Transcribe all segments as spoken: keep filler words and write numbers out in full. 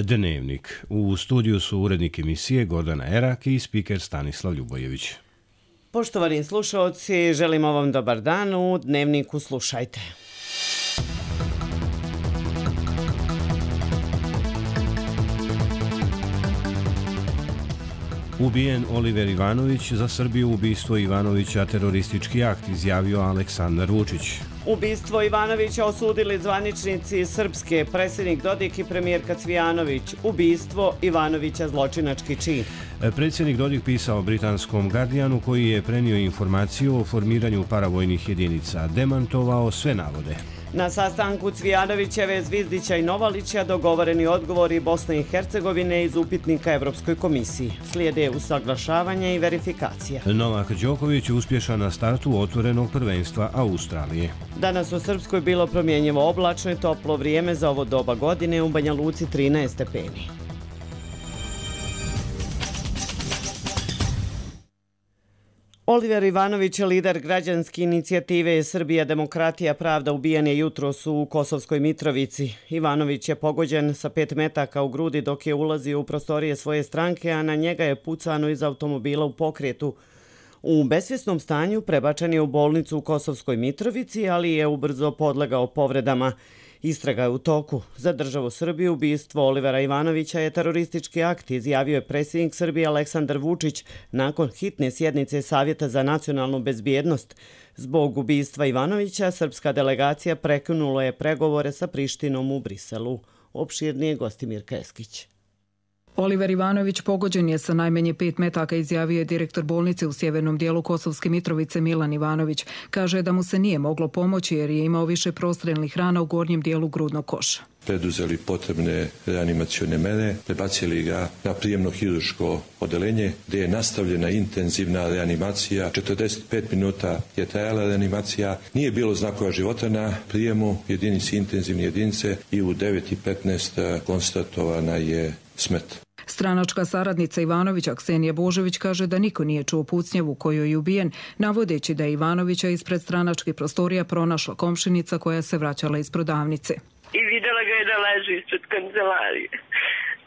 Dnevnik. U studiju su urednik emisije Gordana Erak i spiker Stanislav Ljubojević. Poštovani slušalci, želimo vam dobar dan. U Dnevniku slušajte. Ubijen Oliver Ivanović, za Srbiju ubistvo Ivanovića teroristički akt, izjavio Aleksandar Vučić. Ubistvo Ivanovića osudili zvaničnici Srpske, predsjednik Dodik i premijerka Cvijanović. Ubistvo Ivanovića zločinački čin. Predsjednik Dodik pisao britanskom Guardianu, koji je prenio informaciju o formiranju paravojnih jedinica, demantovao sve navode. Na sastanku Cvijanovićeve, Zvizdića i Novalića dogovoreni odgovori Bosne i Hercegovine iz upitnika Evropskoj komisiji. Slijede usaglašavanje i verifikacija. Novak Đoković uspješan na startu otvorenog prvenstva Australije. Danas u Srpskoj bilo promjenjivo oblačno i toplo vrijeme za ovo doba godine, u Banja Luci trinaest stepeni. Oliver Ivanović, lider građanske inicijative Srbija, demokratija, pravda, ubijen je jutros u Kosovskoj Mitrovici. Ivanović je pogođen sa pet metaka u grudi dok je ulazio u prostorije svoje stranke, a na njega je pucano iz automobila u pokretu. U besvjesnom stanju prebačen je u bolnicu u Kosovskoj Mitrovici, ali je ubrzo podlegao povredama. Istraga je u toku. Za državu Srbiju ubistvo Olivera Ivanovića je teroristički akt, izjavio je predsjednik Srbije Aleksandar Vučić nakon hitne sjednice Savjeta za nacionalnu bezbjednost. Zbog ubistva Ivanovića, srpska delegacija prekinula je pregovore sa Prištinom u Briselu. Opširnije Gostimir Keskić. Oliver Ivanović pogođen je sa najmanje pet metaka, izjavio je direktor bolnice u sjevernom dijelu Kosovske Mitrovice Milan Ivanović. Kaže da mu se nije moglo pomoći jer je imao više prostrenlih rana u gornjem dijelu grudnog koša. Preduzeli potrebne reanimacione mere, prebacili ga na prijemno hirurško odeljenje gdje je nastavljena intenzivna reanimacija. četrdeset pet minuta je trajala reanimacija, nije bilo znakova života na prijemu jedinici intenzivne jedinice i u devet i petnaest konstatovana je smrt. Stranačka saradnica Ivanovića Ksenija Božović kaže da niko nije čuo pucnjevu kojoj je ubijen, navodeći da je Ivanovića ispred stranačkih prostorija pronašla komšinica koja se vraćala iz prodavnice. I vidjela ga je da leži ispred kancelarije.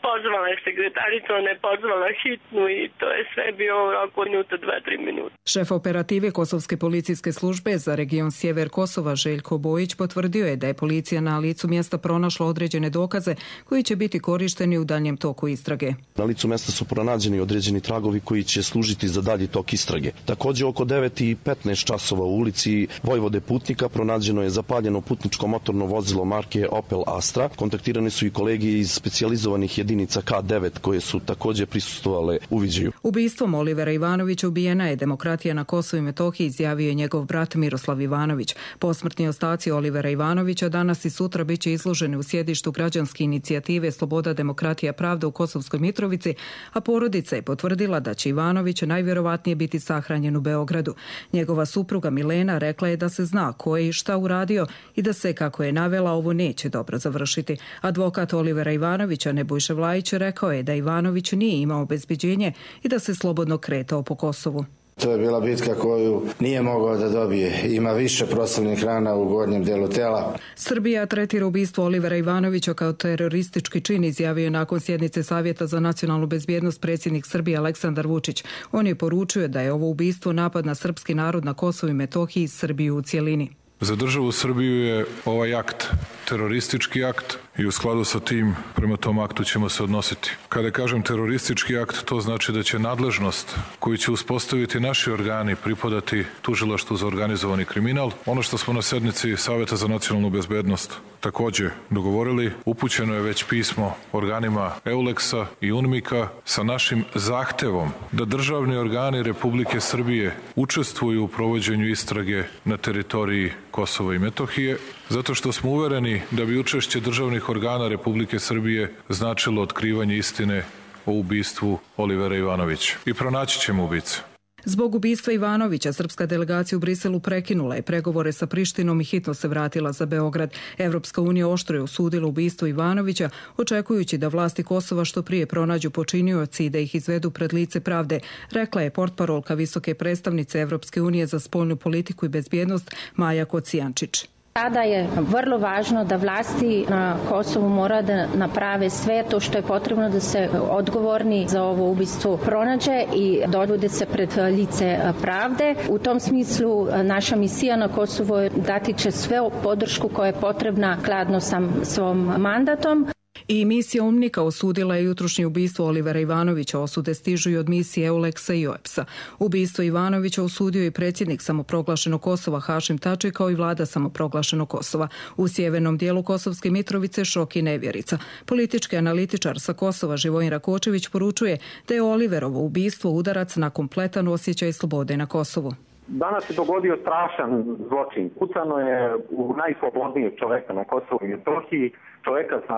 Pozvala je sekretaricu, ona je pozvala hitnu i to je sve bio u roku minuta, dva, tri minuta. Šef operative Kosovske policijske službe za region Sjever Kosova Željko Bojić potvrdio je da je policija na licu mjesta pronašla određene dokaze koji će biti korišteni u daljem toku istrage. Na licu mjesta su pronađeni određeni tragovi koji će služiti za dalji tok istrage. Također oko devet i petnaest časova u ulici Vojvode Putnika pronađeno je zapaljeno putničko motorno vozilo marke Opel Astra. Kontaktirani su i kolege iz specijalizovanih jedinica K devet koje su također prisustvovale uviđaju. Ubistvom Olivera Ivanovića ubijena je demokratija na Kosovu i Metohiji, izjavio je njegov brat Miroslav Ivanović. Posmrtni ostaci Olivera Ivanovića danas i sutra bit će izloženi u sjedištu građanske inicijative Sloboda, demokratija, pravda u Kosovskoj Mitrovici, a porodica je potvrdila da će Ivanović najvjerovatnije biti sahranjen u Beogradu. Njegova supruga Milena rekla je da se zna ko je i šta uradio i da se, kako je navela, ovo neće dobro završiti. Advokat Olivera Ivanovića Nebojša Vlajić rekao je da Ivanović nije imao obezbeđenje i da se slobodno kretao po Kosovu. To je bila bitka koju nije mogao da dobije. Ima više proslavnih rana u gornjem delu tela. Srbija tretira ubistvo Olivera Ivanovića kao teroristički čin, izjavio je nakon sjednice Savjeta za nacionalnu bezbjednost predsjednik Srbije Aleksandar Vučić. On je poručio da je ovo ubistvo napad na srpski narod na Kosovu i Metohiji i Srbiju u cjelini. Za državu Srbiju je ovaj akt teroristički akt i u skladu sa tim prema tom aktu ćemo se odnositi. Kada kažem teroristički akt, to znači da će nadležnost koju će uspostaviti naši organi pripadati Tužilaštvu za organizovani kriminal. Ono što smo na sednici Savjeta za nacionalnu bezbednost također dogovorili, upućeno je već pismo organima Euleksa i UNMIK-a sa našim zahtevom da državni organi Republike Srbije učestvuju u provođenju istrage na teritoriji Kosova i Metohije, zato što smo uvereni da bi učešće državnih organa Republike Srbije značilo otkrivanje istine o ubistvu Olivera Ivanovića. I pronaći ćemo ubice. Zbog ubistva Ivanovića, srpska delegacija u Briselu prekinula je pregovore sa Prištinom i hitno se vratila za Beograd. Evropska unija oštro je osudila ubistvo Ivanovića, očekujući da vlasti Kosova što prije pronađu počinioci i da ih izvedu pred lice pravde, rekla je portparolka visoke predstavnice Evropske unije za spoljnu politiku i bezbjednost Maja Kocijančić. Sada je vrlo važno da vlasti na Kosovu mora da naprave sve to što je potrebno da se odgovorni za ovo ubistvo pronađe i dovede se pred lice pravde. U tom smislu naša misija na Kosovu dati će sve podršku koja je potrebna skladno sa svom mandatom. I misija UNMIK-a osudila je jutrošnje ubistvo Olivera Ivanovića. Osude stižu i od misije EULEX-a i O E P S-a. Ubistvo Ivanovića osudio i predsjednik samoproglašenog Kosova Hašim Tači kao i vlada samoproglašenog Kosova. U sjevernom dijelu Kosovske Mitrovice šok i nevjerica. Politički analitičar sa Kosova Živojin Rakočević poručuje da je Oliverovo ubistvo udarac na kompletan osjećaj slobode na Kosovu. Danas se dogodio strašan zločin. Pucano je u najslobodnijeg čoveka na Kosovu i Metohiji, čoveka sa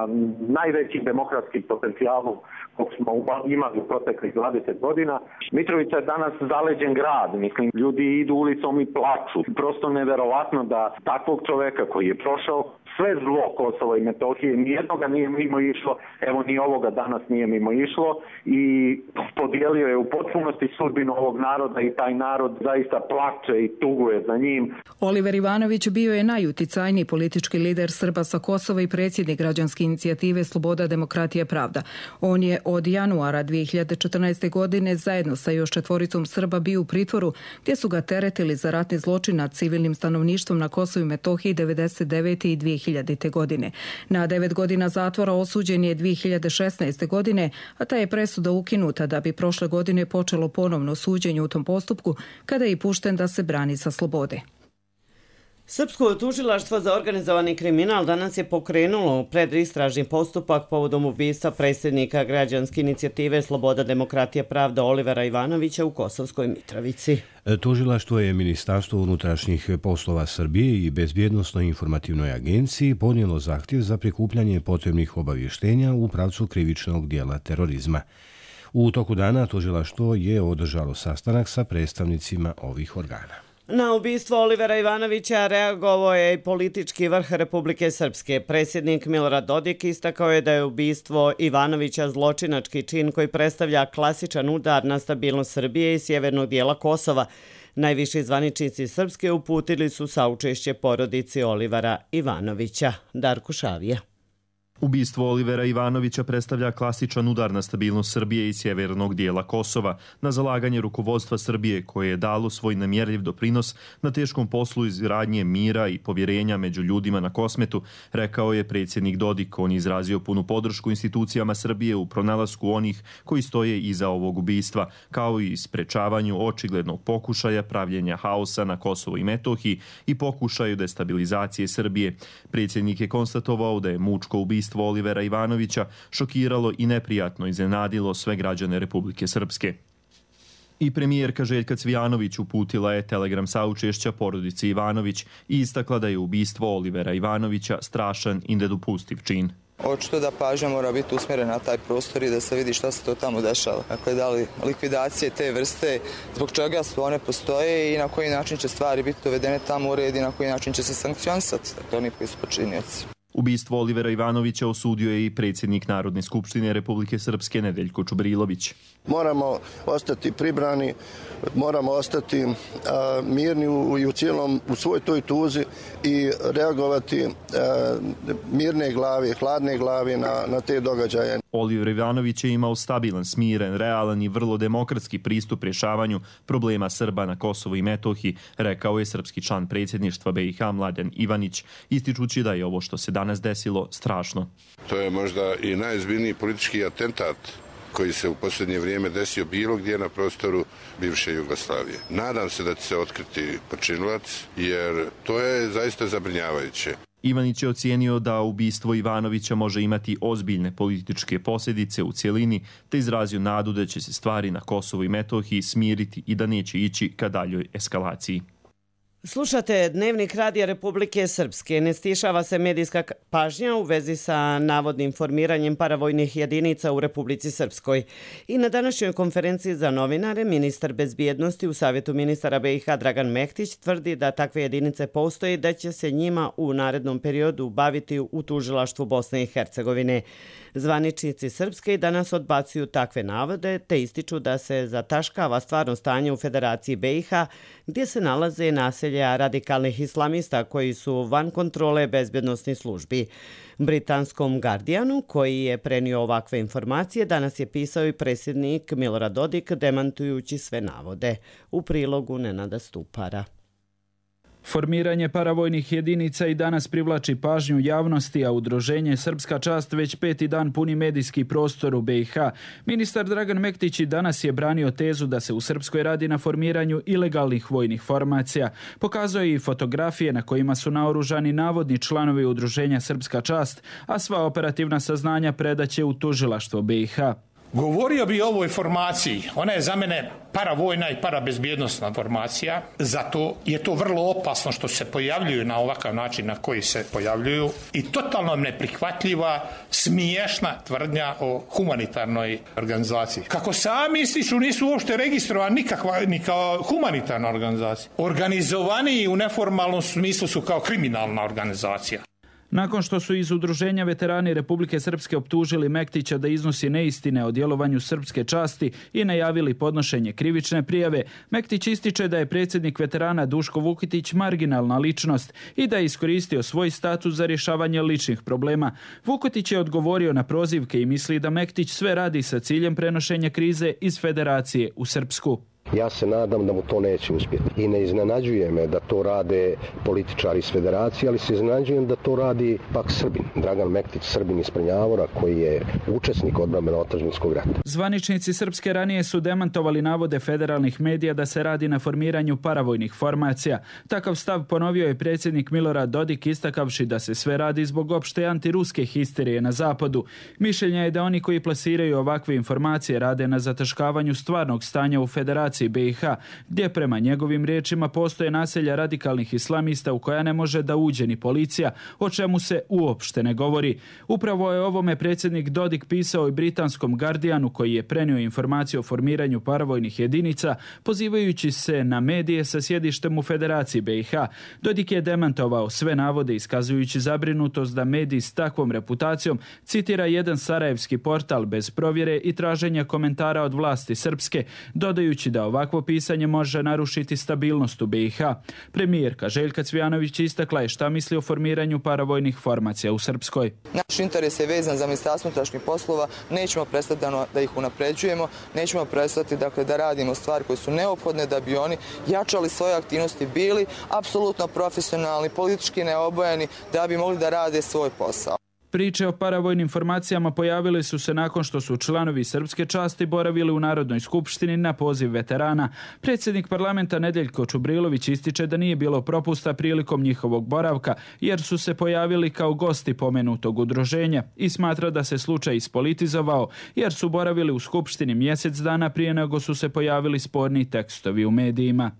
najvećim demokratskim potencijalom kog smo imali u proteklih dvadeset godina. Mitrovica je danas zaleđen grad. Mislim, ljudi idu ulicom i plaču. Prosto neverovatno da takvog čoveka koji je prošao sve zlo Kosova i Metohije, nijednoga nije mimo išlo, evo ni ovoga danas nije mimo išlo i podijelio je u potpunosti sudbinu ovog naroda i taj narod zaista plače i tuguje za njim. Oliver Ivanović bio je najuticajniji politički lider Srba sa Kosova i predsjednik građanske inicijative Sloboda, demokratija, pravda. On je od januara dvije hiljade četrnaeste. godine zajedno sa još četvoricom Srba bio u pritvoru gdje su ga teretili za ratni zločin nad civilnim stanovništvom na Kosovu i Metohiji devedeset devete. i dvije hiljadite. godine. Na devet godina zatvora osuđen je dvije hiljade šesnaeste. godine, a ta je presuda ukinuta da bi prošle godine počelo ponovno suđenje u tom postupku kada je i pušten da se brani sa slobode. Srpsko tužilaštvo za organizovani kriminal danas je pokrenulo predistražni postupak povodom ubistva predsjednika građanske inicijative Sloboda, demokratija, pravda Olivera Ivanovića u Kosovskoj Mitrovici. Tužilaštvo je Ministarstvo unutrašnjih poslova Srbije i Bezbjednosnoj informativnoj agenciji podnijelo zahtjev za prikupljanje potrebnih obavještenja u pravcu krivičnog dijela terorizma. U toku dana tužilaštvo je održalo sastanak sa predstavnicima ovih organa. Na ubistvo Olivera Ivanovića reagovao je i politički vrh Republike Srpske. Predsjednik Milorad Dodik istakao je da je ubistvo Ivanovića zločinački čin koji predstavlja klasičan udar na stabilnost Srbije i sjevernog dijela Kosova. Najviši zvaničnici Srpske uputili su saučešće porodici Olivera Ivanovića. Darko Šavija. Ubistvo Olivera Ivanovića predstavlja klasičan udar na stabilnost Srbije i sjevernog dijela Kosova, na zalaganje rukovodstva Srbije koje je dalo svoj nemjerljiv doprinos na teškom poslu izgradnje mira i povjerenja među ljudima na Kosmetu, rekao je predsjednik Dodik. On je izrazio punu podršku institucijama Srbije u pronalasku onih koji stoje iza ovog ubistva, kao i sprečavanju očiglednog pokušaja pravljenja haosa na Kosovu i Metohiji i pokušaju destabilizacije Srbije. Predsjednik je konstatovao da je mučko ubistvo Olivera Ivanovića šokiralo i neprijatno iznenadilo sve građane Republike Srpske. I premijerka Željka Cvijanović uputila je telegram saučešća porodici Ivanović i istakla da je ubistvo Olivera Ivanovića strašan i nedopustiv čin. Očito da pažnja mora biti usmjerena na taj prostor i da se vidi šta se to tamo dešava. Dakle, da li likvidacije te vrste, zbog čega su one postoje i na koji način će stvari biti dovedene tamo u red i na koji način će se sankcionisati, dakle, oni koji su počinioci. Ubistvo Olivera Ivanovića osudio je i predsjednik Narodne skupštine Republike Srpske Nedeljko Čubrilović. Moramo ostati pribrani, moramo ostati a, mirni u, i u cijelom, u svoj toj tuzi i reagovati a, mirne glave, hladne glave na, na te događaje. Oliver Ivanović je imao stabilan, smiren, realan i vrlo demokratski pristup rješavanju problema Srba na Kosovu i Metohiji, rekao je srpski član predsjedništva B i H Mladen Ivanić, ističući da je ovo što se danas desilo strašno. To je možda i najozbiljniji politički atentat koji se u posljednje vrijeme desio bilo gdje na prostoru bivše Jugoslavije. Nadam se da će se otkriti počinilac, jer to je zaista zabrinjavajuće. Ivanić je ocijenio da ubistvo Ivanovića može imati ozbiljne političke posljedice u cjelini, te izrazio nadu da će se stvari na Kosovu i Metohiji smiriti i da neće ići ka daljoj eskalaciji. Slušate Dnevnik Radija Republike Srpske. Ne stišava se medijska pažnja u vezi sa navodnim formiranjem paravojnih jedinica u Republici Srpskoj. I na današnjoj konferenciji za novinare ministar bezbjednosti u Savjetu ministara B i H Dragan Mehtić tvrdi da takve jedinice postoje i da će se njima u narednom periodu baviti u tužilaštvu Bosne i Hercegovine. Zvaničnici Srpske i danas odbacuju takve navode te ističu da se zataškava stvarno stanje u Federaciji B i H gdje se nalaze naselje naselja radikalnih islamista koji su van kontrole bezbjednosnih službi. Britanskom Guardianu, koji je prenio ovakve informacije, danas je pisao i predsjednik Milorad Dodik, demantujući sve navode. U prilogu Nenada Stupara. Formiranje paravojnih jedinica i danas privlači pažnju javnosti, a udruženje Srpska čast već peti dan puni medijski prostor u B i H. Ministar Dragan Mektić i danas je branio tezu da se u Srpskoj radi na formiranju ilegalnih vojnih formacija. Pokazuje i fotografije na kojima su naoružani navodni članovi udruženja Srpska čast, a sva operativna saznanja predaće u tužilaštvo B i H. Govorio bi o ovoj formaciji. Ona je za mene paravojna i parabezbjednostna formacija. Zato je to vrlo opasno što se pojavljuju na ovakav način na koji se pojavljuju i totalno neprihvatljiva, smiješna tvrdnja o humanitarnoj organizaciji. Kako sami ističu, nisu uopšte registrovani nikakva, ni kao humanitarna organizacija. Organizovani u neformalnom smislu su kao kriminalna organizacija. Nakon što su iz udruženja veterani Republike Srpske optužili Mektića da iznosi neistine o djelovanju Srpske časti i najavili podnošenje krivične prijave, Mektić ističe da je predsjednik veterana Duško Vukitić marginalna ličnost i da je iskoristio svoj status za rješavanje ličnih problema. Vukitić je odgovorio na prozivke i misli da Mektić sve radi sa ciljem prenošenja krize iz Federacije u Srpsku. Ja se nadam da mu to neće uspjeti. I ne iznenađuje me da to rade političari iz Federacije, ali se iznenađujem da to radi pak Srbin. Dragan Mektić, Srbin iz Prnjavora, koji je učesnik odbrambeno-otadžbinskog rata. Zvaničnici Srpske ranije su demantovali navode federalnih medija da se radi na formiranju paravojnih formacija. Takav stav ponovio je predsjednik Milorad Dodik, istakavši da se sve radi zbog opšte antiruske histerije na zapadu. Mišljenja je da oni koji plasiraju ovakve informacije rade na zataškavanju stvarnog stanja u Federaciji B i H, gdje prema njegovim riječima postoje naselja radikalnih islamista u koja ne može da uđe ni policija, o čemu se uopšte ne govori. Upravo je ovome predsjednik Dodik pisao i britanskom Guardianu, koji je prenio informaciju o formiranju paravojnih jedinica, pozivajući se na medije sa sjedištem u Federaciji B i H. Dodik je demantovao sve navode, iskazujući zabrinutost da mediji s takvom reputacijom, citira jedan sarajevski portal bez provjere i traženja komentara od vlasti Srpske, dodajući da ovakvo pisanje može narušiti stabilnost u B i H. Premijerka Željka Cvijanović istakla je šta misli o formiranju paravojnih formacija u Srpskoj. Naš interes je vezan za Ministarstvo unutrašnjih poslova, nećemo prestati da ih unapređujemo, nećemo prestati dakle, da radimo stvari koje su neophodne da bi oni jačali svoje aktivnosti, bili apsolutno profesionalni, politički neobojeni, da bi mogli da rade svoj posao. Priče o paravojnim formacijama pojavili su se nakon što su članovi Srpske časti boravili u Narodnoj skupštini na poziv veterana. Predsjednik parlamenta Nedeljko Čubrilović ističe da nije bilo propusta prilikom njihovog boravka, jer su se pojavili kao gosti pomenutog udruženja i smatra da se slučaj ispolitizovao, jer su boravili u skupštini mjesec dana prije nego su se pojavili sporni tekstovi u medijima.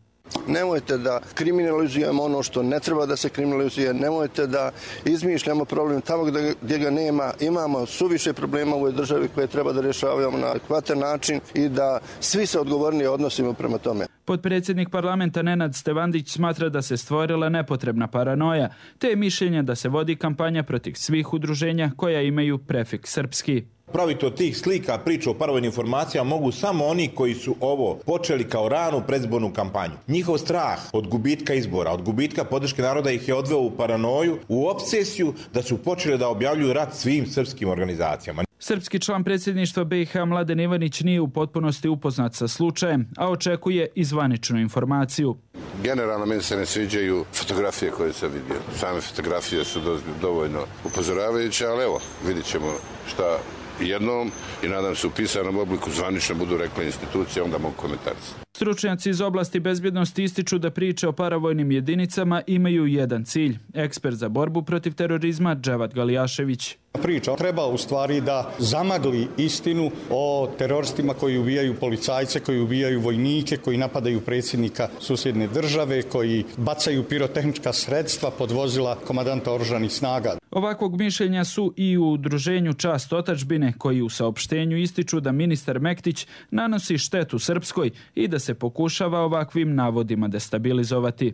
Nemojte da kriminalizujemo ono što ne treba da se kriminalizuje, nemojte da izmišljamo problem tamo gdje ga nema. Imamo suviše problema u ovoj državi koje treba da rješavamo na adekvatan način i da svi se odgovornije odnosimo prema tome. Potpredsjednik parlamenta Nenad Stevandić smatra da se stvorila nepotrebna paranoja, te je mišljenje da se vodi kampanja protiv svih udruženja koja imaju prefiks srpski. Praviti od tih slika priču o paravojnim informacijama mogu samo oni koji su ovo počeli kao ranu predizbornu kampanju. Njihov strah od gubitka izbora, od gubitka podrške naroda ih je odveo u paranoju, u obsesiju da su počeli da objavljuju rat svim srpskim organizacijama. Srpski član predsjedništva B i H Mladen Ivanić nije u potpunosti upoznat sa slučajem, a očekuje i zvaničnu informaciju. Generalno meni se ne sviđaju fotografije koje sam vidio. Same fotografije su dovoljno upozoravajuće, ali evo, vidit ćemo šta jednom i nadam se u pisanom obliku zvanično budu rekle institucije, onda mogu komentarci. Stručnjaci iz oblasti bezbjednosti ističu da priče o paravojnim jedinicama imaju jedan cilj. Ekspert za borbu protiv terorizma Dževat Galijašević. Priča treba u stvari da zamagli istinu o teroristima koji ubijaju policajce, koji ubijaju vojnike, koji napadaju predsjednika susjedne države, koji bacaju pirotehnička sredstva pod vozila komandanta oružanih snaga. Ovakvog mišljenja su i u udruženju Čast otadžbine, koji u saopštenju ističu da ministar Mektić nanosi štetu Srpskoj i da se pokušava ovakvim navodima destabilizovati.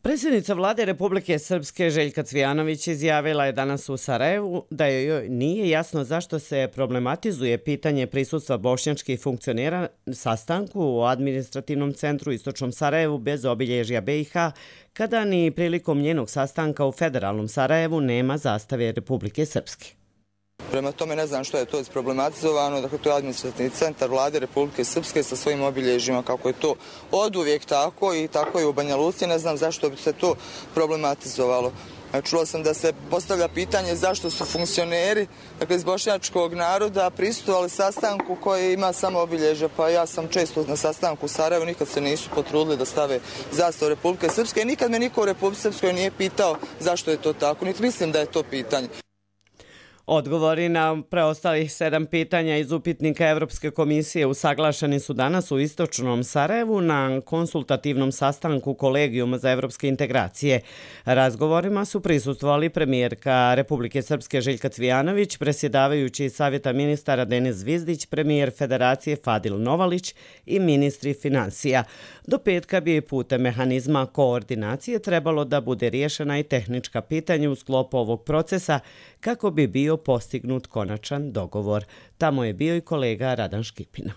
Predsjednica vlade Republike Srpske Željka Cvijanović izjavila je danas u Sarajevu da joj nije jasno zašto se problematizuje pitanje prisustva bošnjačkih funkcionera sastanku u administrativnom centru Istočnom Sarajevu bez obilježja B i H, kada ni prilikom njenog sastanka u federalnom Sarajevu nema zastave Republike Srpske. Prema tome ne znam što je to isproblematizovano, dakle to je administrativni centar vlade Republike Srpske sa svojim obilježjima, kako je to oduvijek tako i tako je u Banja Luci, ne znam zašto bi se to problematizovalo. Čula sam da se postavlja pitanje zašto su funkcioneri, dakle iz bošnjačkog naroda, prisustvovali sastanku koji ima samo obilježja, pa ja sam često na sastanku u Sarajevu, nikad se nisu potrudili da stave zastavu Republike Srpske i nikad me niko u Republike Srpskoj nije pitao zašto je to tako, niti mislim da je to pitanje. Odgovori na preostalih sedam pitanja iz upitnika Evropske komisije usaglašeni su danas u Istočnom Sarajevu na konsultativnom sastanku Kolegijuma za evropske integracije. Razgovorima su prisustvovali premijerka Republike Srpske Željka Cvijanović, predsjedavajući Savjeta ministara Denis Zvizdić, premijer Federacije Fadil Novalić i ministri financija. Do petka bi putem mehanizma koordinacije trebalo da bude riješena i tehnička pitanja u sklopu ovog procesa kako bi bio postignut konačan dogovor. Tamo je bio i kolega Radan Škipina.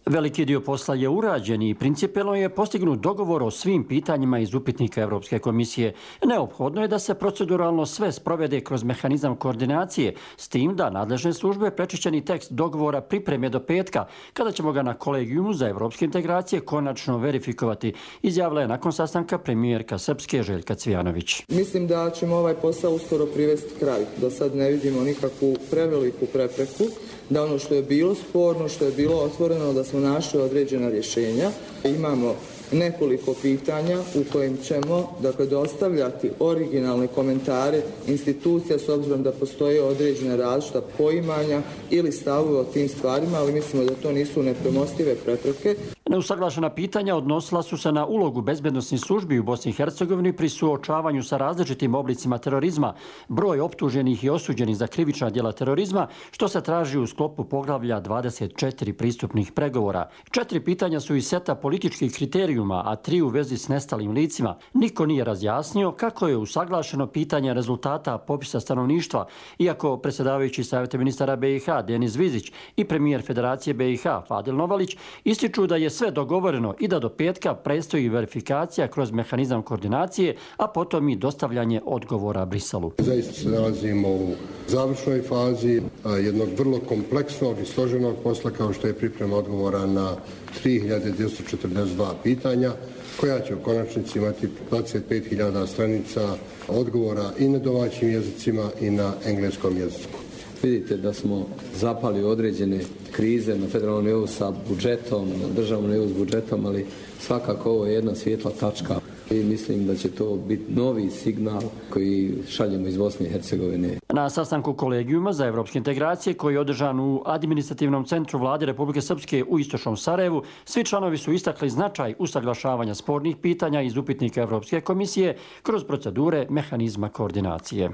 Veliki dio posla je urađen i principijelno je postignut dogovor o svim pitanjima iz upitnika Evropske komisije. Neophodno je da se proceduralno sve sprovede kroz mehanizam koordinacije, s tim da nadležne službe prečišćeni tekst dogovora pripreme do petka, kada ćemo ga na Kolegijumu za evropske integracije konačno verifikovati, izjavila je nakon sastanka premijerka Srpske Željka Cvijanović. Mislim da ćemo ovaj posao uskoro privesti kraju, da sad ne vidimo nikakvu preveliku prepreku, da ono što je bilo sporno, što je bilo otvoreno, da smo našli određena rješenja. Imamo nekoliko pitanja u kojim ćemo dakle, dostavljati originalne komentare institucija s obzirom da postoje određene različita poimanja ili stavove o tim stvarima, ali mislimo da to nisu nepremostive prepreke. Neusaglašena pitanja odnosila su se na ulogu bezbednosnih službi u Bosni i Hercegovini pri suočavanju sa različitim oblicima terorizma, broj optuženih i osuđenih za krivična djela terorizma, što se traži u sklopu poglavlja dvadeset četiri pristupnih pregovora. Četiri pitanja su iz seta političkih kriterijuma, a tri u vezi s nestalim licima. Niko nije razjasnio kako je usaglašeno pitanje rezultata popisa stanovništva, iako predsjedavajući Savjeta ministara B i H Denis Zvizdić i premijer Federacije B i H Fadil Novalić ističu da je sve dogovoreno i da do petka predstoji verifikacija kroz mehanizam koordinacije, a potom i dostavljanje odgovora Briselu. Zaista se nalazimo u završnoj fazi jednog vrlo kompleksnog i složenog posla kao što je priprema odgovora na tri hiljade dvjesto četrdeset dva pitanja, koja će u konačnici imati dvadeset pet hiljada stranica odgovora i na domaćim jezicima i na engleskom jeziku. Vidite da smo zapali određene krize na federalnom nivou sa budžetom, na državnom nivou s budžetom, ali svakako ovo je jedna svijetla tačka i mislim da će to biti novi signal koji šaljemo iz Bosne i Hercegovine. Na sastanku Kolegijuma za evropske integracije koji je održan u administrativnom centru vlade Republike Srpske u Istočnom Sarajevu, svi članovi su istakli značaj usaglašavanja spornih pitanja iz upitnika Evropske komisije kroz procedure mehanizma koordinacije.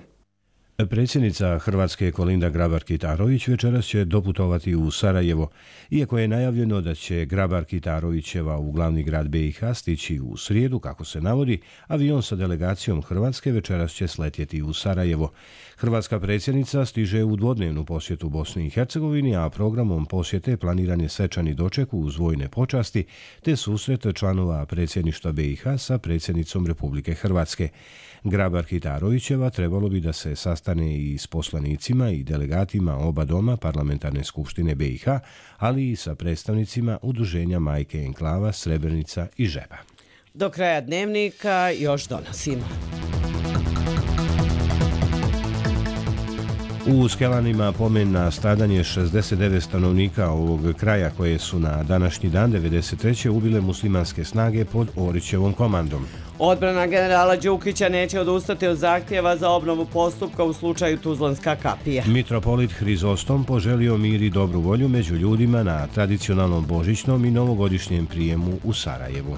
Predsjednica Hrvatske Kolinda Grabar-Kitarović večeras će doputovati u Sarajevo, iako je najavljeno da će Grabar-Kitarovićeva u glavni grad B i H stići u srijedu, kako se navodi, avion sa delegacijom Hrvatske večeras će sletjeti u Sarajevo. Hrvatska predsjednica stiže u dvodnevnu posjetu Bosni i Hercegovini, a programom posjete planiran je svečani doček uz vojne počasti te susret članova predsjedništva B i H sa predsjednicom Republike Hrvatske. Grabar-Kitarovićeva trebalo bi da se sastane i s poslanicima i delegatima oba doma Parlamentarne skupštine B i H, ali i sa predstavnicima udruženja Majke enklava Srebrenica i Žeba. Do kraja dnevnika još donosimo. U Skelanima pomen na stradanje šezdeset devet stanovnika ovog kraja koje su na današnji dan devedeset treće ubile muslimanske snage pod Orićevom komandom. Odbrana generala Đukića neće odustati od zahtjeva za obnovu postupka u slučaju Tuzlanska kapija. Mitropolit Hrizostom poželio mir i dobru volju među ljudima na tradicionalnom božićnom i novogodišnjem prijemu u Sarajevu.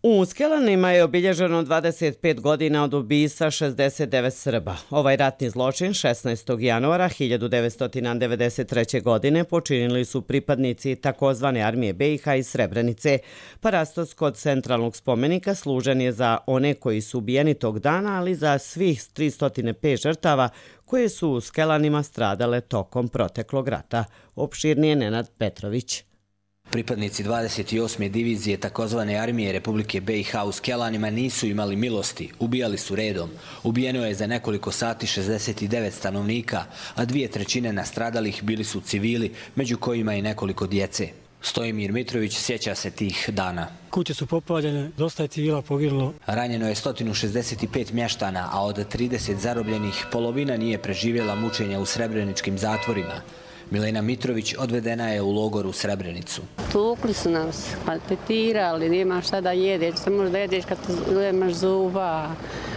U Skelanima je obilježeno dvadeset pet godina od ubistva šezdeset devet Srba. Ovaj ratni zločin šesnaestog januara hiljadu devetsto devedeset treće. godine počinili su pripadnici takozvane armije B i H iz Srebrenice. Parastos kod centralnog spomenika služen je za one koji su ubijeni tog dana, ali za svih tristo pet žrtava koje su u Skelanima stradale tokom proteklog rata. Opširnije Nenad Petrović. Pripadnici dvadeset osme divizije takozvane armije Republike B i H u Skelanima nisu imali milosti, ubijali su redom. Ubijeno je za nekoliko sati šezdeset devet stanovnika, a dvije trećine nastradalih bili su civili, među kojima i nekoliko djece. Stojimir Mitrović sjeća se tih dana. Kuće su popaljene, dosta je civila poginulo. Ranjeno je sto šezdeset pet mještana, a od trideset zarobljenih polovina nije preživjela mučenja u srebreničkim zatvorima. Milena Mitrović odvedena je u logor u Srebrenicu. Tukli su nas, malpetirali, nemaš šta da jedeš, samo možda jedeš kad nemaš zuba.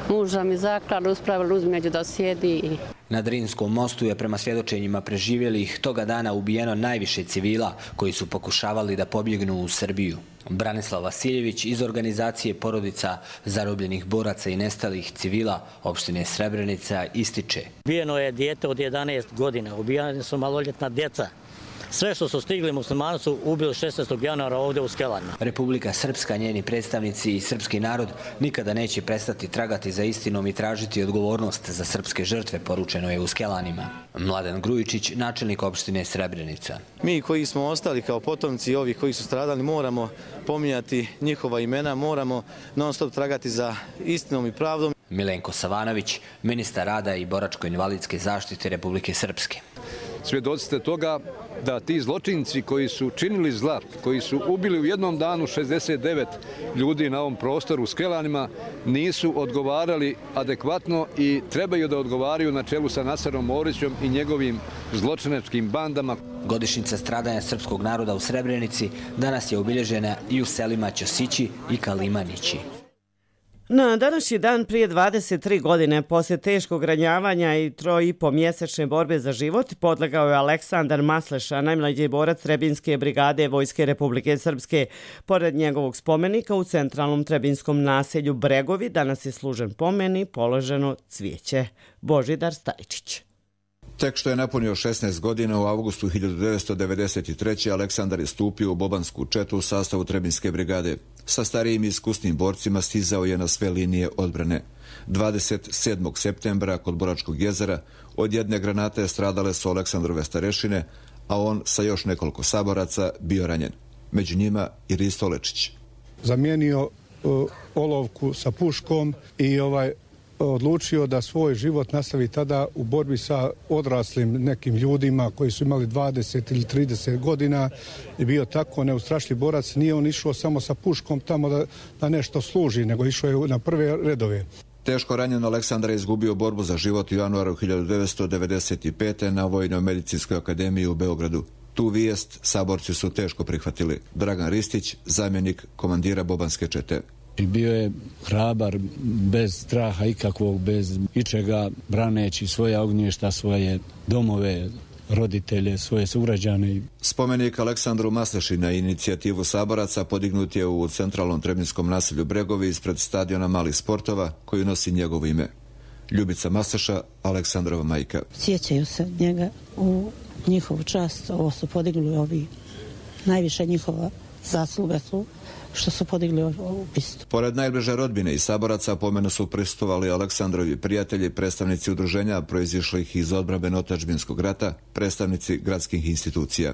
Muža mi zaklali, uspravili uzmeđu da sjedi. Na Drinskom mostu je prema svjedočenjima preživjelih toga dana ubijeno najviše civila koji su pokušavali da pobjegnu u Srbiju. Branislav Vasiljević iz organizacije porodica zarobljenih boraca i nestalih civila opštine Srebrenica ističe. Ubijeno je dijete od jedanaest godina, ubijeni su maloljetna djeca. Sve što su stigli muslimani su ubili šesnaestog januara ovdje u Skelanima. Republika Srpska, njeni predstavnici i srpski narod nikada neće prestati tragati za istinom i tražiti odgovornost za srpske žrtve, poručeno je u Skelanima. Mladen Grujičić, načelnik opštine Srebrenica. Mi koji smo ostali kao potomci ovih koji su stradali moramo pominjati njihova imena, moramo non stop tragati za istinom i pravdom. Milenko Savanović, ministar rada i boračko-invalidske zaštite Republike Srpske. Svjedoci ste toga da ti zločinci koji su činili zla, koji su ubili u jednom danu šezdeset devet ljudi na ovom prostoru u Skelanima, nisu odgovarali adekvatno i trebaju da odgovaraju na čelu sa Naserom Orićem i njegovim zločinačkim bandama. Godišnjica stradanja srpskog naroda u Srebrenici danas je obilježena i u selima Ćosići i Kalimanići. Na današnji dan prije dvadeset tri godine, poslije teškog ranjavanja i troj i po mjesečne borbe za život, podlegao je Aleksandar Masleša, najmlađi borac Trebinske brigade Vojske Republike Srpske. Pored njegovog spomenika u centralnom trebinskom naselju Bregovi danas je služen pomen i položeno cvijeće. Božidar Stajčić. Tek što je napunio šesnaest godina, u avgustu hiljadu devetsto devedeset treće. Aleksandar je stupio u bobansku četu u sastavu Trebinske brigade. Sa starijim i iskusnim borcima stizao je na sve linije odbrane. dvadeset sedmog septembra kod Boračkog jezera od jedne granate stradale su Aleksandrove starešine, a on sa još nekoliko saboraca bio ranjen. Među njima i Risto Lečić. Zamijenio uh, olovku sa puškom i ovaj odlučio da svoj život nastavi tada u borbi sa odraslim nekim ljudima koji su imali dvadeset ili trideset godina i bio tako neustrašljiv borac. Nije on išao samo sa puškom tamo da, da nešto služi, nego išao je na prve redove. Teško ranjen Aleksandar je izgubio borbu za život u januaru hiljadu devetsto devedeset pete. na Vojno-medicinskoj akademiji u Beogradu. Tu vijest saborci su teško prihvatili. Dragan Ristić, zamjenik komandira bobanske čete. Bio je hrabar, bez straha ikakvog, bez ičega, braneći svoja ognješta, svoje domove, roditelje, svoje sugrađane. Spomenik Aleksandru Masleši na inicijativu saboraca podignut je u centralnom trebinskom naselju Bregovi ispred stadiona malih sportova koji nosi njegovo ime. Ljubica Masleša, Aleksandrova majka. Sjećaju se njega u njihovu čast. Ovo su podigli ovi, najviše njihova zasluga su što su podigli ovu pistu. Pored najbliže rodbine i saboraca pomenu su prisustvovali Aleksandrovi prijatelji, predstavnici udruženja proizišlih iz odbrambeno otadžbinskog rata, predstavnici gradskih institucija.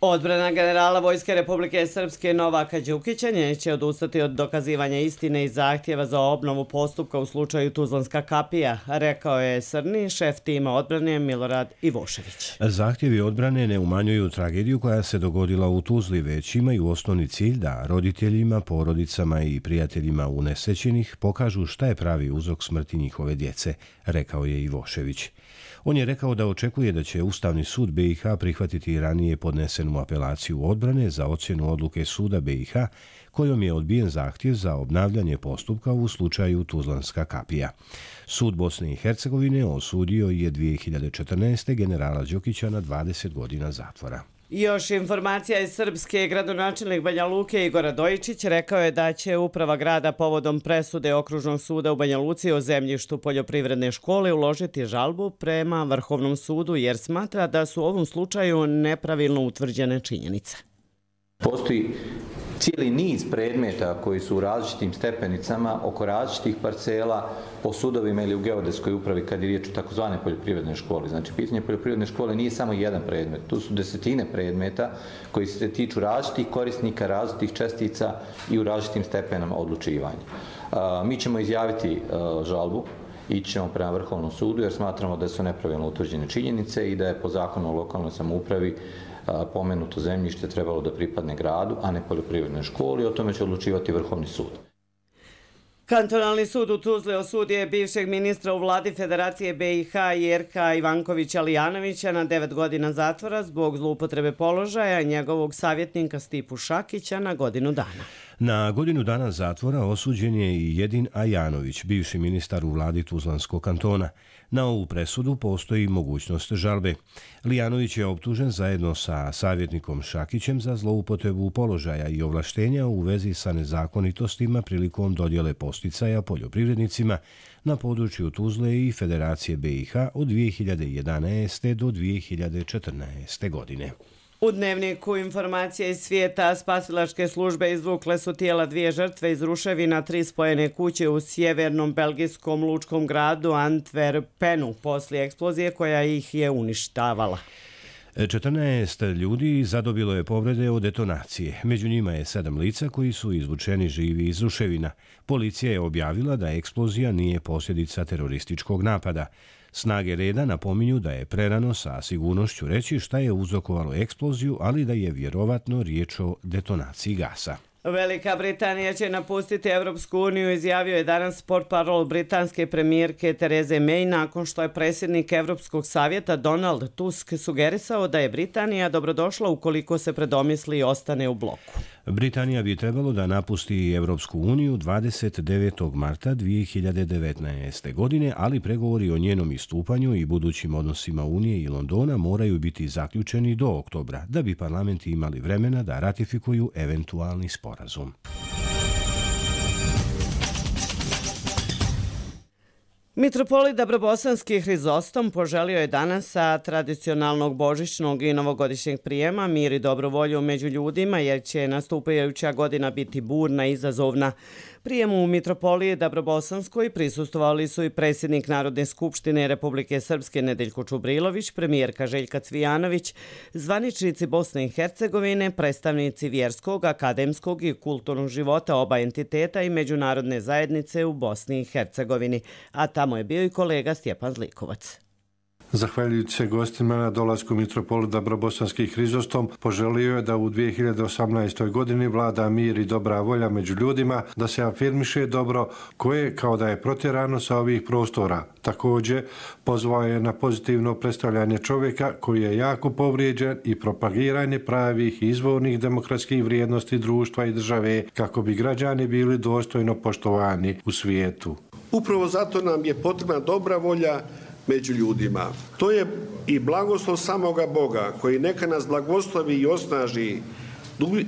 Odbrana generala Vojske Republike Srpske Novaka Đukića neće odustati od dokazivanja istine i zahtjeva za obnovu postupka u slučaju Tuzlanska kapija, rekao je Srni, šef tima odbrane Milorad Ivošević. Zahtjevi odbrane ne umanjuju tragediju koja se dogodila u Tuzli, već imaju osnovni cilj da roditeljima, porodicama i prijateljima unesrećenih pokažu šta je pravi uzrok smrti njihove djece, rekao je Ivošević. On je rekao da očekuje da će Ustavni sud B i H prihvatiti ranije podnesenu apelaciju odbrane za ocjenu odluke suda B i H kojom je odbijen zahtjev za obnavljanje postupka u slučaju Tuzlanska kapija. Sud Bosne i Hercegovine osudio je dvije hiljade četrnaeste. generala Đukića na dvadeset godina zatvora. Još informacija iz Srpske. Gradonačelnik Banja Luke Igor Radojičić rekao je da će uprava grada povodom presude Okružnog suda u Banja Luci o zemljištu poljoprivredne škole uložiti žalbu prema Vrhovnom sudu jer smatra da su u ovom slučaju nepravilno utvrđene činjenice. Postoji cijeli niz predmeta koji su u različitim stepenicama oko različitih parcela po sudovima ili u geodetskoj upravi kad je riječ o takozvane poljoprivredne škole. Znači, pitanje poljoprivredne škole nije samo jedan predmet. Tu su desetine predmeta koji se tiču različitih korisnika, različitih čestica i u različitim stepenama odlučivanja. Mi ćemo izjaviti žalbu, ići ćemo prema Vrhovnom sudu jer smatramo da su nepravilno utvrđene činjenice i da je po zakonu o lokalnoj samoupravi pomenuto zemljište trebalo da pripadne gradu, a ne poljoprivrednoj školi. O tome će odlučivati Vrhovni sud. Kantonalni sud u Tuzli osudio je bivšeg ministra u vladi Federacije B i H Jerka Ivankovića Lijanovića na devet godina zatvora zbog zloupotrebe položaja i njegovog savjetnika Stipu Šakića na godinu dana. Na godinu dana zatvora osuđen je i Jedin Ajanović, bivši ministar u vladi Tuzlanskog kantona. Na ovu presudu postoji mogućnost žalbe. Lijanović je optužen zajedno sa savjetnikom Šakićem za zloupotrebu položaja i ovlaštenja u vezi sa nezakonitostima prilikom dodjele posticaja poljoprivrednicima na području Tuzle i Federacije B i H od dvije hiljade jedanaeste. do dvije hiljade četrnaeste. godine. U Dnevniku informacije iz svijeta spasilačke službe izvukle su tijela dvije žrtve iz ruševina tri spojene kuće u sjevernom belgijskom lučkom gradu Antwerpenu poslije eksplozije koja ih je uništavala. četrnaest ljudi zadobilo je povrede od detonacije. Među njima je sedam lica koji su izvučeni živi iz ruševina. Policija je objavila da eksplozija nije posljedica terorističkog napada. Snage reda napominju da je prerano sa sigurnošću reći šta je uzrokovalo eksploziju, ali da je vjerovatno riječ o detonaciji gasa. Velika Britanija će napustiti Evropsku uniju, izjavio je danas portparol britanske premijerke Tereze May nakon što je predsjednik Evropskog savjeta Donald Tusk sugerisao da je Britanija dobrodošla ukoliko se predomisli i ostane u bloku. Britanija bi trebalo da napusti Evropsku uniju dvadeset devetog marta dvije hiljade devetnaeste. godine, ali pregovori o njenom istupanju i budućim odnosima Unije i Londona moraju biti zaključeni do oktobra, da bi parlamenti imali vremena da ratifikuju eventualni sporazum. Mitropolit Dabrobosanski Hrizostom poželio je danas sa tradicionalnog božićnog i novogodišnjeg prijema mir i dobru volju među ljudima jer će nastupajuća godina biti burna i izazovna. Prijemu u Mitropoliji Dabrobosanskoj prisustvovali su i predsjednik Narodne skupštine Republike Srpske Nedeljko Čubrilović, premijerka Željka Cvijanović, zvaničnici Bosne i Hercegovine, predstavnici vjerskog, akademskog i kulturnog života oba entiteta i međunarodne zajednice u Bosni i Hercegovini, a tamo je bio i kolega Stjepan Zlikovac. Zahvaljujući se gostima na dolasku mitropolit Dabrobosanski Hrizostom, poželio je da u dvije hiljade osamnaestoj. godini vlada mir i dobra volja među ljudima, da se afirmiše dobro koje kao da je protjerano sa ovih prostora. Također, pozvao je na pozitivno predstavljanje čovjeka koji je jako povrijeđen i propagiranje pravih i izvornih demokratskih vrijednosti društva i države kako bi građani bili dostojno poštovani u svijetu. Upravo zato nam je potrebna dobra volja među ljudima. To je i blagoslov samoga Boga koji neka nas blagoslovi i osnaži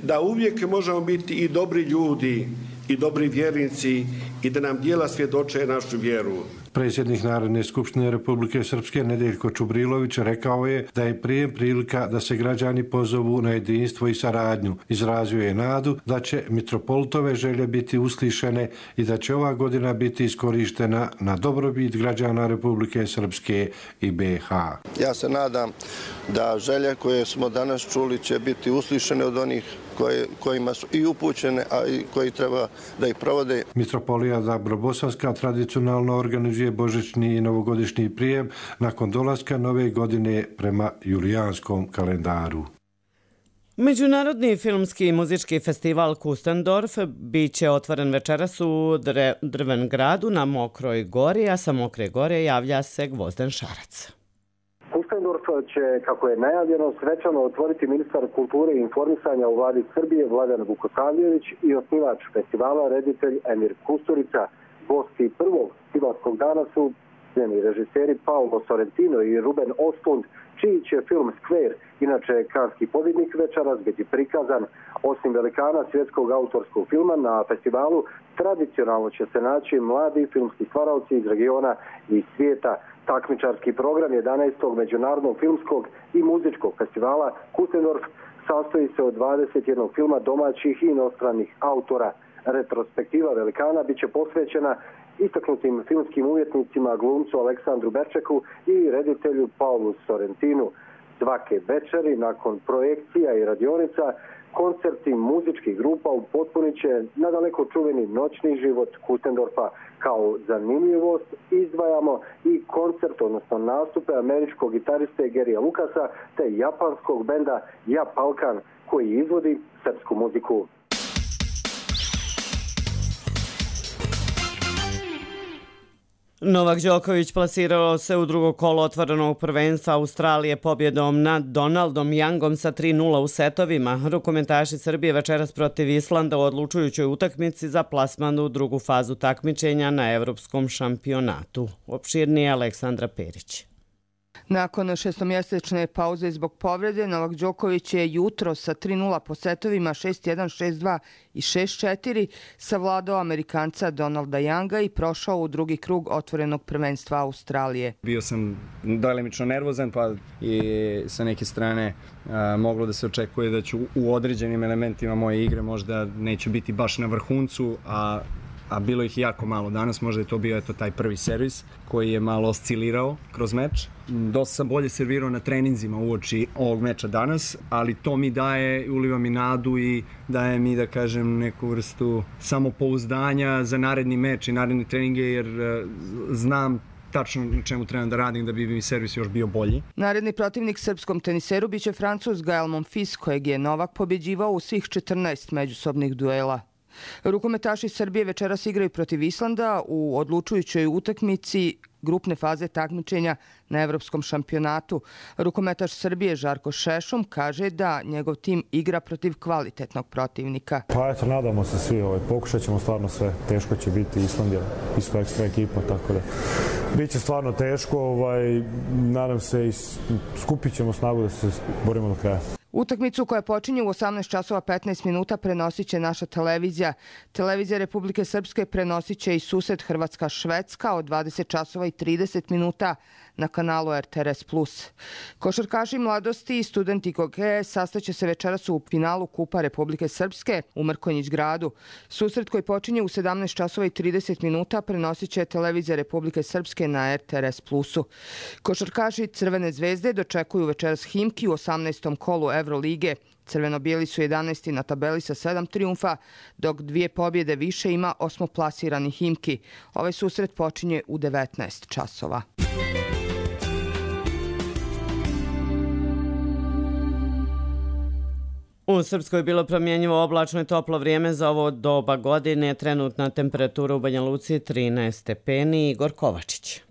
da uvijek možemo biti i dobri ljudi i dobri vjernici i da nam djela svjedoče našu vjeru. Predsjednik Narodne skupštine Republike Srpske Nedeljko Čubrilović rekao je da je prijem prilika da se građani pozovu na jedinstvo i saradnju. Izrazio je nadu da će mitropolitove želje biti uslišene i da će ova godina biti iskorištena na dobrobit građana Republike Srpske i B H. Ja se nadam da želje koje smo danas čuli će biti uslišene od onih koje, kojima su i upućene, a i koji treba da ih provode. Mitropolija Dabrobosanska tradicionalno organizuje božićni i novogodišnji prijem nakon dolaska nove godine prema julijanskom kalendaru. Međunarodni filmski i muzički festival Kustendorf bit će otvoren večeras u Drvengradu na Mokroj gori, a sa Mokre gore javlja se Gvozden Šarac. Kustendorf će, kako je najavljeno, svečano otvoriti ministar kulture i informisanja u vladi Srbije Vladan Vukosavljević i osnivač festivala, reditelj Emir Kusturica. Gosti prvog festivalskog dana su Njeni režiseri Paolo Sorrentino i Ruben Östlund, čiji će film Square, inače kanski pobjednik, večeras biti prikazan. Osim velikana svjetskog autorskog filma na festivalu, tradicionalno će se naći mladi filmski stvaraoci iz regiona i svijeta. Takmičarski program jedanaestog međunarodnog filmskog i muzičkog festivala Kustendorf sastoji se od dvadeset jednog filma domaćih i inostranih autora. Retrospektiva velikana bit će posvećena istaknutim filmskim umjetnicima, glumcu Aleksandru Berčeku i reditelju Paulu Sorrentinu. Svake večeri, nakon projekcija i radionica, koncerti muzičkih grupa upotpunit će nadaleko čuveni noćni život Kustendorfa. Kao zanimljivost izdvajamo i koncert, odnosno nastupe američkog gitariste Garyja Lucasa te japanskog benda Japalkan, koji izvodi srpsku muziku. Novak Đoković plasirao se u drugo kolo otvorenog prvenstva Australije pobjedom nad Donaldom Youngom sa tri nula u setovima. Rukometaši Srbije večeras protiv Islanda u odlučujućoj utakmici za plasman u drugu fazu takmičenja na Evropskom šampionatu. Opširnije Aleksandra Perić. Nakon šestomjesečne pauze zbog povrede, Novak Đoković je jutro sa tri nula po setovima šest jedan, šest dva i šest četiri savladao Amerikanca Donalda Younga i prošao u drugi krug otvorenog prvenstva Australije. Bio sam delimično nervozan, pa i sa neke strane a, moglo da se očekuje da ću u određenim elementima moje igre možda neću biti baš na vrhuncu, a a bilo ih jako malo danas, možda je to bio eto taj prvi servis koji je malo oscilirao kroz meč. Dosta sam bolje servirao na treninzima uoči ovog meča danas, ali to mi daje, uliva mi nadu i daje mi, da kažem, neku vrstu samopouzdanja za naredni meč i naredne treninge, jer uh, znam tačno na čemu trebam da radim da bi mi servis još bio bolji. Naredni protivnik srpskom teniseru biće Francuz Gael Monfils, kojeg je Novak pobjeđivao u svih četrnaest međusobnih duela. Rukometaši Srbije večeras igraju protiv Islanda u odlučujućoj utakmici grupne faze takmičenja na Evropskom šampionatu. Rukometaš Srbije Žarko Šešum kaže da njegov tim igra protiv kvalitetnog protivnika. Pa eto, nadamo se svi, ovaj, pokušat ćemo stvarno sve. Teško će biti, Island je isto ekstra ekipa, tako da biće stvarno teško. Ovaj, nadam se i skupit ćemo snagu da se borimo do kraja. Utakmicu koja počinje u osamnaest časova petnaest minuta prenosit će naša televizija. Televizija Republike Srpske prenosit će i susret Hrvatska-Švedska od dvadeset časova i trideset minuta na kanalu R T R S plus. Košarkaši mladosti i studenti Goge sastaće se večeras u finalu Kupa Republike Srpske u Mrkonjić gradu. Susret koji počinje u sedamnaest časova i trideset minuta prenosit će televizija Republike Srpske na R T R S plusu. Košarkaši Crvene zvezde dočekuju večeras Himki u osamnaestom kolu Evrolige. Crveno-bijeli su jedanaesti na tabeli sa sedam trijumfa, dok dvije pobjede više ima osmoplasirani Himki. Ovaj susret počinje u devetnaest časova. U Srpskoj je bilo promjenjivo oblačno i toplo vrijeme za ovo doba godine. Trenutna temperatura u Banja Luci trinaest stepeni. Igor Kovačić.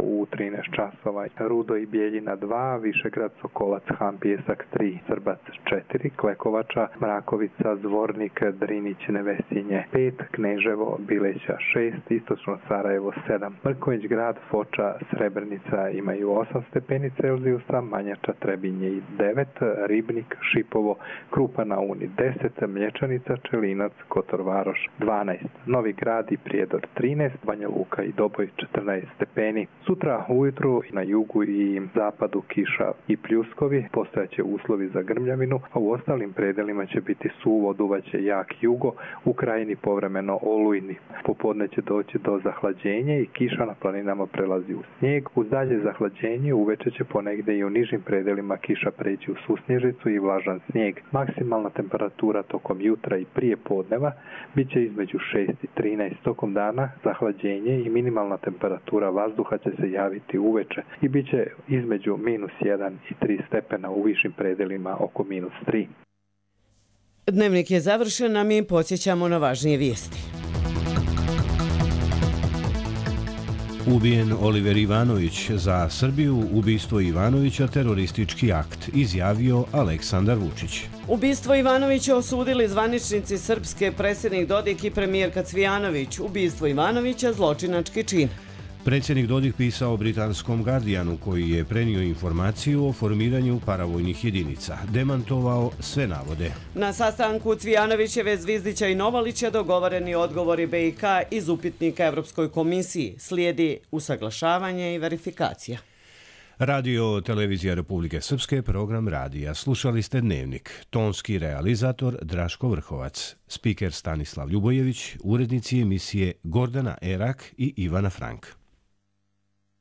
U trinaest časova Rudo i Bijeljina dva, Višegrad, Sokolac, Han, Pijesak tri, Srbac četiri, Klekovača, Mrakovica, Zvornik, Drinić, Nevesinje pet, Kneževo, Bileća šest, Istočno Sarajevo sedam, Mrkonjić grad, Foča, Srebrnica imaju osam stepeni Celzijusa, Manjača, Trebinje i devet, Ribnik, Šipovo, Krupa na Uni deset, Mlječanica, Čelinac, Kotor Varoš dvanaest, Novi grad i Prijedor trinaest, Banja Luka i Doboj četrnaest stepeni. Sutra ujutru na jugu i zapadu kiša i pljuskovi, postojaće uslovi za grmljavinu, a u ostalim predelima će biti suvo, duvaće jak jugo, u krajini povremeno olujni. Popodne će doći do zahlađenja i kiša na planinama prelazi u snijeg. Uz dalje zahlađenje uveče će ponegde i u nižim predelima kiša preći u susnježicu i vlažan snijeg. Maksimalna temperatura tokom jutra i prije podneva bit će između šest i trinaest, tokom dana zahlađenje i minimalna temperatura vazduha će se javiti uveče i bit će između minus jedan i tri stepena, u višim predelima oko minus tri. Dnevnik je završen, a mi podsjećamo na važnije vijesti. Ubijen Oliver Ivanović, za Srbiju ubistvo Ivanovića teroristički akt, izjavio Aleksandar Vučić. Ubistvo Ivanovića osudili zvaničnici Srpske, predsjednik Dodik i premijerka Cvijanović. Ubistvo Ivanovića zločinački čin. Predsjednik Dodik pisao britanskom Guardianu koji je prenio informaciju o formiranju paravojnih jedinica. Demantovao sve navode. Na sastanku Cvijanovićeve, Zvizdića i Novalića dogovoreni odgovori B i K iz upitnika Evropskoj komisiji. Slijedi usaglašavanje i verifikacija. Radio Televizija Republike Srpske, program radija. Slušali ste Dnevnik. Tonski realizator Draško Vrhovac. Spiker Stanislav Ljubojević. Urednici emisije Gordana Erak i Ivana Frank.